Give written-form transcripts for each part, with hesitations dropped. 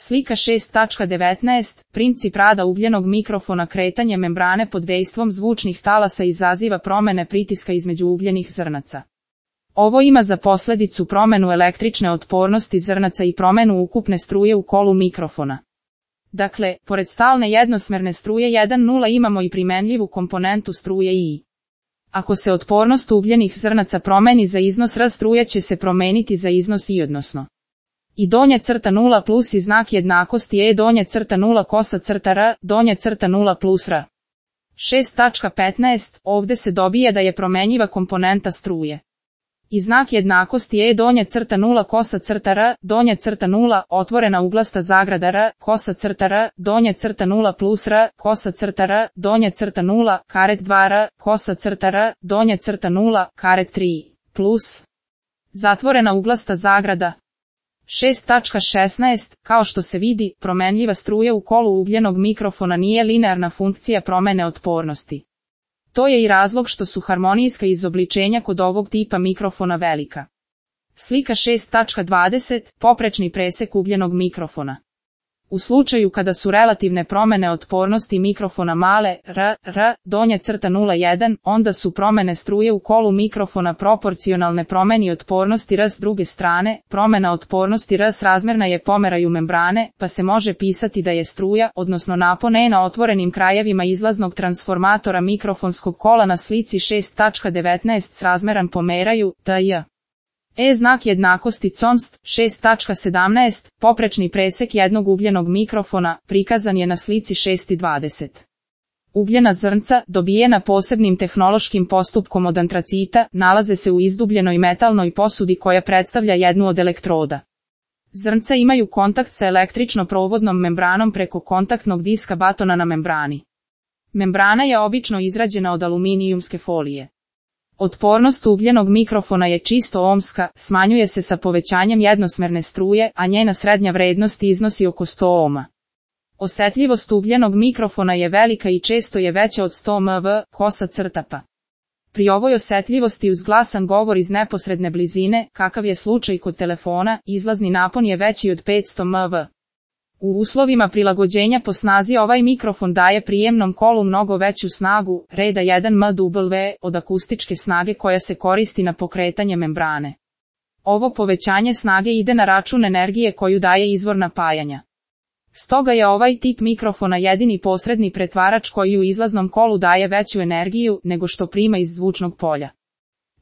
Slika 6.19. Princip rada ugljenog mikrofona. Kretanje membrane pod dejstvom zvučnih talasa izaziva promene pritiska između ugljenih zrnaca. Ovo ima za posljedicu promenu električne otpornosti zrnaca i promenu ukupne struje u kolu mikrofona. Dakle, pored stalne jednosmerne struje 1,0 imamo i primenljivu komponentu struje I. Ako se otpornost ugljenih zrnaca promeni za iznos R, struje će se promeniti za iznos I, odnosno I donje crta 0 plus i znak jednakosti E donje crta 0 kosa crta R, donje crta 0 plus R. 6.15. Ovdje se dobije da je promenjiva komponenta struje. I znak jednakosti E donje crta 0 kosa crta R, donje crta 0, otvorena uglasta zagrada R, kosa crta R, donje crta 0 plus R, kosa crta R, donje crta 0, karet 2 R, kosa crta R, donje crta 0, karet 3, plus. Zatvorena uglasta zagrada. 6.16. Kao što se vidi, promenljiva struja u kolu ugljenog mikrofona nije linearna funkcija promene otpornosti. To je i razlog što su harmonijska izobličenja kod ovog tipa mikrofona velika. Slika 6.20. Poprečni presek ugljenog mikrofona. U slučaju kada su relativne promene otpornosti mikrofona male, R, donje crta 0,1, onda su promene struje u kolu mikrofona proporcionalne promeni otpornosti R. S druge strane, promena otpornosti R srazmjerna je pomeraju membrane, pa se može pisati da je struja, odnosno napon E na otvorenim krajevima izlaznog transformatora mikrofonskog kola na slici 6.19 srazmjeran pomeraju, T-J. E znak jednakosti const. 6.17. Poprečni presek jednog ugljenog mikrofona, prikazan je na slici 6.20. Ugljena zrnca, dobijena posebnim tehnološkim postupkom od antracita, nalaze se u izdubljenoj metalnoj posudi koja predstavlja jednu od elektroda. Zrnca imaju kontakt sa električno-provodnom membranom preko kontaktnog diska batona na membrani. Membrana je obično izrađena od aluminijumske folije. Otpornost ugljenog mikrofona je čisto ohmska, smanjuje se sa povećanjem jednosmerne struje, a njena srednja vrednost iznosi oko 100 ohma. Osjetljivost ugljenog mikrofona je velika i često je veća od 100 mV, kosa crtapa. Pri ovoj osjetljivosti uz glasan govor iz neposredne blizine, kakav je slučaj kod telefona, izlazni napon je veći od 500 mV. U uslovima prilagođenja po snazi ovaj mikrofon daje prijemnom kolu mnogo veću snagu, reda 1 mW, od akustičke snage koja se koristi na pokretanje membrane. Ovo povećanje snage ide na račun energije koju daje izvor napajanja. Stoga je ovaj tip mikrofona jedini posredni pretvarač koji u izlaznom kolu daje veću energiju nego što prima iz zvučnog polja.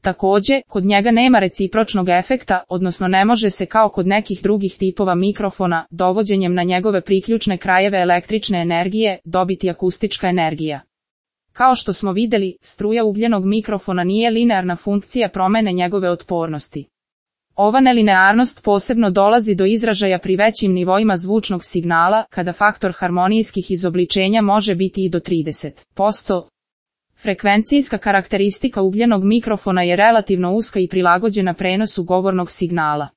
Također, kod njega nema recipročnog efekta, odnosno ne može se kao kod nekih drugih tipova mikrofona, dovođenjem na njegove priključne krajeve električne energije, dobiti akustička energija. Kao što smo vidjeli, struja ugljenog mikrofona nije linearna funkcija promene njegove otpornosti. Ova nelinearnost posebno dolazi do izražaja pri većim nivoima zvučnog signala, kada faktor harmonijskih izobličenja može biti i do 30%. Frekvencijska karakteristika ugljenog mikrofona je relativno uska i prilagođena prenosu govornog signala.